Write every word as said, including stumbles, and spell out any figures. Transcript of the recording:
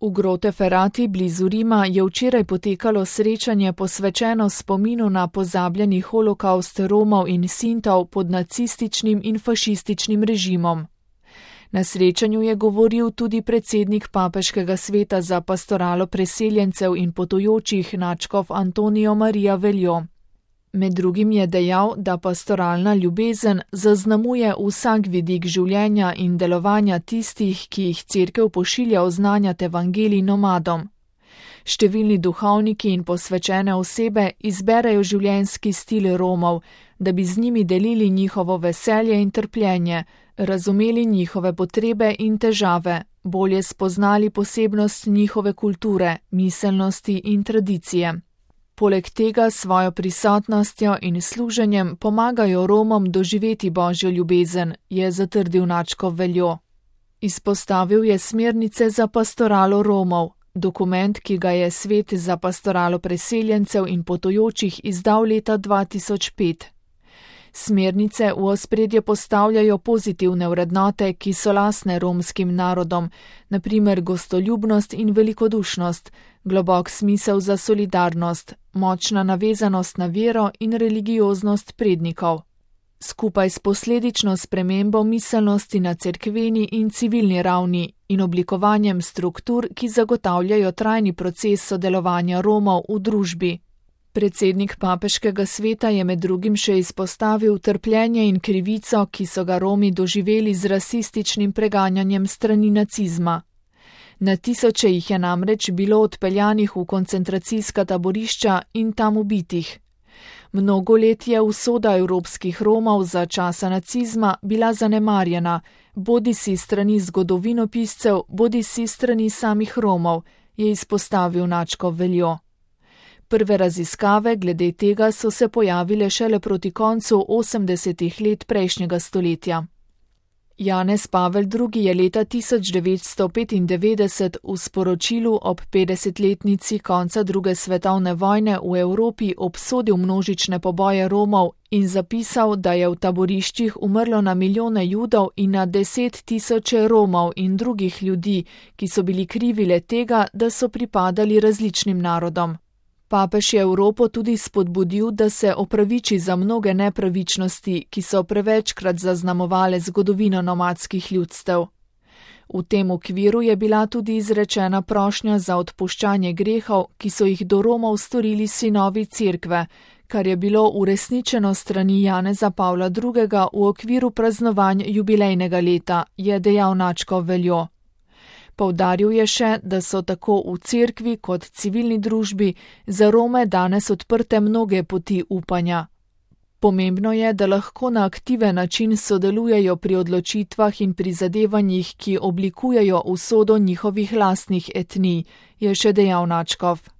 V Grote Ferrati blizu Rima je včeraj potekalo srečanje posvečeno spominu na pozabljeni holokavst Romov in Sintov pod nacističnim in fašističnim režimom. Na srečanju je govoril tudi predsednik Papeškega sveta za pastoralo preseljencev in potujočih nadškof Antonijo Marija Veljo. Med drugim je dejal, da pastoralna ljubezen zaznamuje vsak vidik življenja in delovanja tistih, ki jih Cerkev pošilja oznanjati evangelij nomadom. Številni duhovniki in posvečene osebe izberejo življenjski stil Romov, da bi z njimi delili njihovo veselje in trpljenje, razumeli njihove potrebe in težave, bolje spoznali posebnost njihove kulture, miselnosti in tradicije. Poleg tega svojo prisotnostjo in služenjem pomagajo Romom doživeti Božjo ljubezen, je zatrdil nadškof Veljo. Izpostavil je smernice za pastoralo Romov, dokument, ki ga je Svet za pastoralo preseljencev in potujočih izdal leta dva tisoč pet. Smernice v ospredje postavljajo pozitivne vrednote, ki so lastne romskim narodom, na primer gostoljubnost in velikodušnost, globok smisel za solidarnost, močna navezanost na vero in religioznost prednikov. Skupaj s posledično spremembo miselnosti na cerkveni in civilni ravni in oblikovanjem struktur, ki zagotavljajo trajni proces sodelovanja Romov v družbi. Predsednik Papeškega sveta je med drugim še izpostavil trpljenje in krivico, ki so ga Romi doživeli z rasističnim preganjanjem strani nacizma. Na tisoče jih je namreč bilo odpeljanih v koncentracijska taborišča in tam ubitih. Mnogo let je usoda evropskih Romov za časa nacizma bila zanemarjena, bodisi strani zgodovinopiscev, bodisi strani samih Romov, je izpostavil nadškof Veljo. Prve raziskave glede tega so se pojavile šele proti koncu osemdesetih let prejšnjega stoletja. Janez Pavel drugi je leta tisoč devetsto petindevetdeset v sporočilu ob petdesetletnici konca druge svetovne vojne v Evropi obsodil množične poboje Romov in zapisal, da je v taboriščih umrlo na milijone Judov in na deset tisoče Romov in drugih ljudi, ki so bili krivi le tega, da so pripadali različnim narodom. Papež je Evropo tudi spodbudil, da se opraviči za mnoge nepravičnosti, ki so prevečkrat zaznamovale zgodovino nomadskih ljudstev. V tem okviru je bila tudi izrečena prošnja za odpuščanje grehov, ki so jih do Romov storili sinovi Cerkve, kar je bilo uresničeno strani Janeza Pavla drugega v okviru praznovanj jubilejnega leta, je dejal nadškof Veljo. Poudaril je še, da so tako v cerkvi kot civilni družbi za Rome danes odprte mnoge poti upanja. Pomembno je, da lahko na aktiven način sodelujejo pri odločitvah in prizadevanjih, ki oblikujejo usodo njihovih lastnih etnij, je še dejal nadškof.